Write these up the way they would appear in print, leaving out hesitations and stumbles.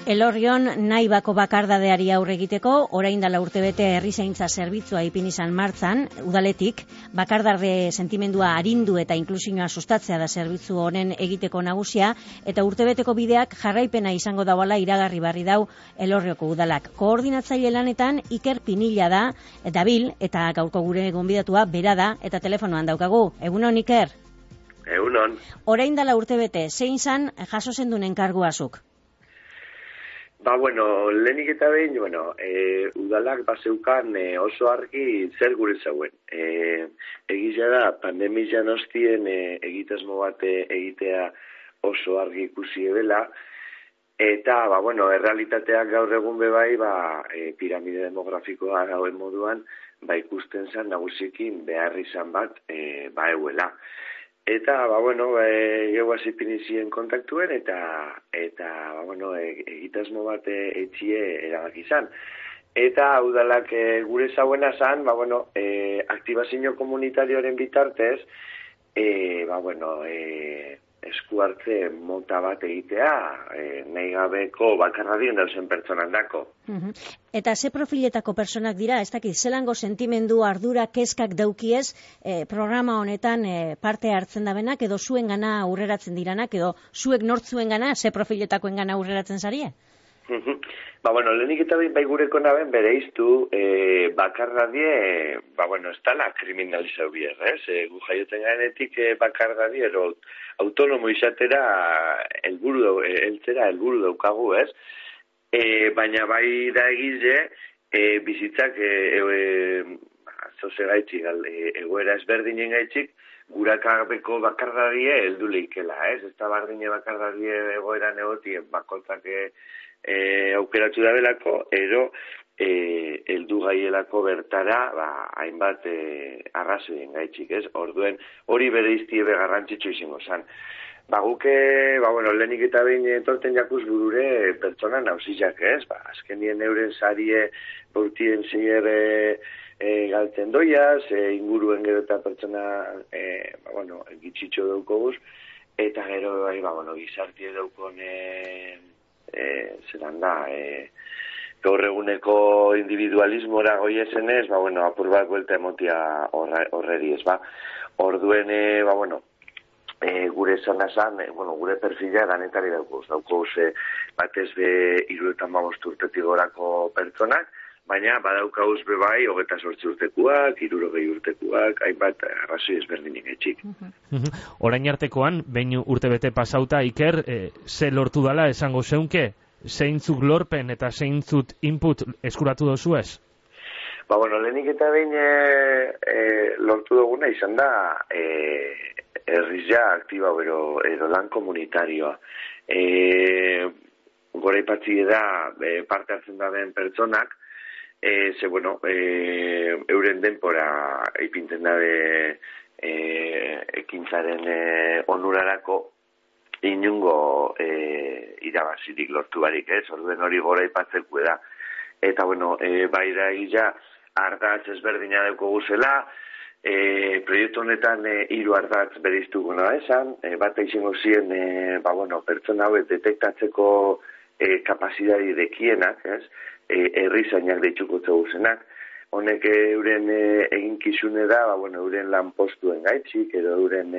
Elorrion Naibako bakardadeari aurre egiteko, orain dela urtebete herrizaintza zerbitzua ipini izan martzan, udaletik, bakardarde sentimendua arindu eta inklusioa sustatzea da zerbitzu honen egiteko nagusia, eta urtebeteko bideak jarraipena izango dauala iragarri barri dau Elorrioko udalak. Koordinatzaile lanetan Iker Pinilla da, dabil, eta gaurko gure gonbidatua bera da, eta telefonoan daukagu. Egunon, Iker? Egunon. Orain dela urtebete, zein zan jaso zendun enkarguazuk? Lehenik eta behin, udalak bazeukan oso argi zer gure zauen. Egizia da, pandemia nostien egitasmo bat egitea oso argi ikusi ebela, eta, errealitateak gaur egun bebai, piramide demografikoa gauen moduan, ikusten zan nagusikin behar izan bat, euela. Eta, gehuaz ipinizien kontaktuen, eta egitasmo bat etxie erabak izan. Eta, udalak gure zauena zan, aktibazio komunitarioaren bitartez, esku hartze mota bat egitea, nahi gabeko bakarradien dauzen pertsonan dako. Eta ze profiletako personak dira, ez dakit, zelango sentimendu, ardura, kezkak daukiez, programa honetan parte hartzen dabenak, edo zuen gana aurreratzen diranak, edo zuek nortzuen gana, ze profiletakoen gana aurreratzen zarie? Lehenik eta bai gureko naben bere iztu, bakarradie, ez tala kriminalizau bier, gu jaioten garenetik bakarradie, ero autonomo izatera helburu daukagu, ez? Baina bai da egize, bizitzak zoze gaitxik, egoera ezberdinen gaitxik, gurakabeko bakardadie heldu leikela, ez? Ez da bardine bakardadie egoera negotien bakotzak aukeratu da belako, ero heldu gaielako bertara, hainbat arrazoien gaitxik, ez? Orduen hori bere iztiebe garrantzitsu izango zan. Guke, lehenik eta behin torten jakuz burure pertsona nauzizak, ez? Azkenien euren sarie bortien zier galtzen doiaz, inguruen gero eta pertsona, gitxitxo daukoguz, eta gero, gizartie daukon, zelan da, gaur eguneko individualismora goiezenez, apur bat buelta emotia horreri, ez Orduen, gure zona zan, gure perfila danetari daukuz, batez be 75 urtetik gorako pertsonak, baina badaukauz bebai 28 urtekuak, 60 urtekuak, hainbat arrazoi ezberdinik etxik. Orain artekoan, behin urtebete pasauta, Iker, ze lortu dala esango zeunke? Zeintzuk lorpen eta zeintzut input eskuratu dozu ez? Lehenik eta behin lortu duguna izan da herrizia aktiba edo lan komunitarioa. Gora ipatzi da parte hartzen da den pertsonak, euren denpora ipintzen dabe ekintzaren onurarako inungo irabazirik lortu barik, ez? Orduen hori gora ipatzeko da. Eta, bai da egia ardatz ezberdina dauko guzela, proiektu honetan 3 ardatz bereiztuko nahi esan, bat izango ziren, pertsona hauek detektatzeko kapazidadi dekienak, ez? Herrizainak deitzuko zegozenak. Honek euren eginkizune da, euren lan postuen gaitxik, edo euren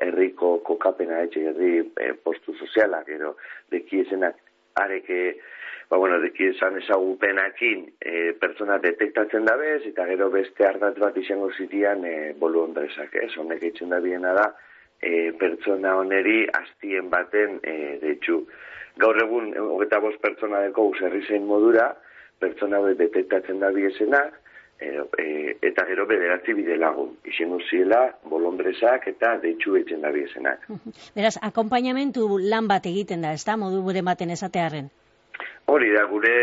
herriko kokapena gaitxik, herri postu sozialak, edo dekiezenak areke, dekiezan ezagupenakin pertsona detektatzen dabez, eta gero beste ardatz bat izango zitian bolu ondrezak, ez? Honek eitzen da biena da, pertsona honeri hastien baten deitzu. Gaur egun, 25 pertsona deko herrizain modura, pertsona hauek detektatzen da biezenak, eta gero 9 bide lagun. Izango ziela, bolondrezak eta deitzu eitzen da biezenak. Beraz, akompainamentu lan bat egiten da, ez da, modu gure baten esatearen? Hori da, gure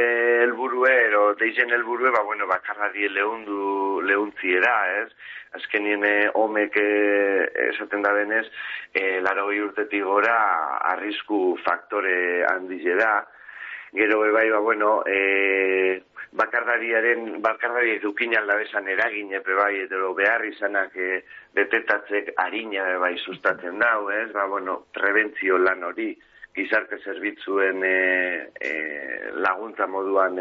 helburue, deizen helburue, bakarradie lehuntziera, ez? Azkenien homek esaten da benez, 80 urtetik gora arrisku faktore handize da. Gero bai, bakardariek dukin aldabezan eragin epe bai, edo behar izanak detektatzek harina bai sustatzen dau, ez? Prebentzio lan hori gizarte zerbitzuen laguntza moduan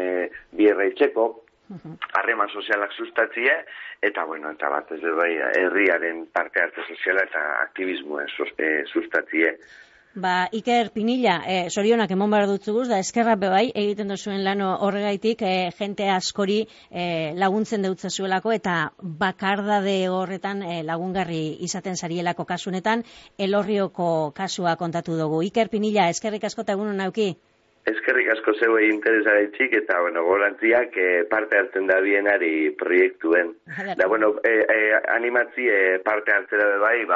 bierreitzeko, harreman sozialak sustatzie, eta bat ez bai, herriaren parte hartze soziala eta aktivismoen sustatzie. Iker Pinilla, sorionak emon behar dutzuguz, da eskerra bebai, egiten duzuen lan horregaitik, jente askori laguntzen deutzazuelako, eta bakardade horretan lagungarri izaten zarielako kasunetan, Elorrioko kasua kontatu dugu. Iker Pinilla, eskerrik asko eta egunon nauki? Eskerrik asko zeuei interesaretxik, eta, gorantziak parte hartzen da bienari proiektuen. Da, animatzi parte hartzera bebai,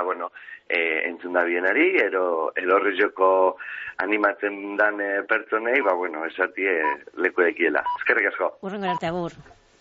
entzun da bienari, Elorrioko animatzen dan pertsonei, esatie leku ekiela. Eskerrik asko. Urrengo arte, agur.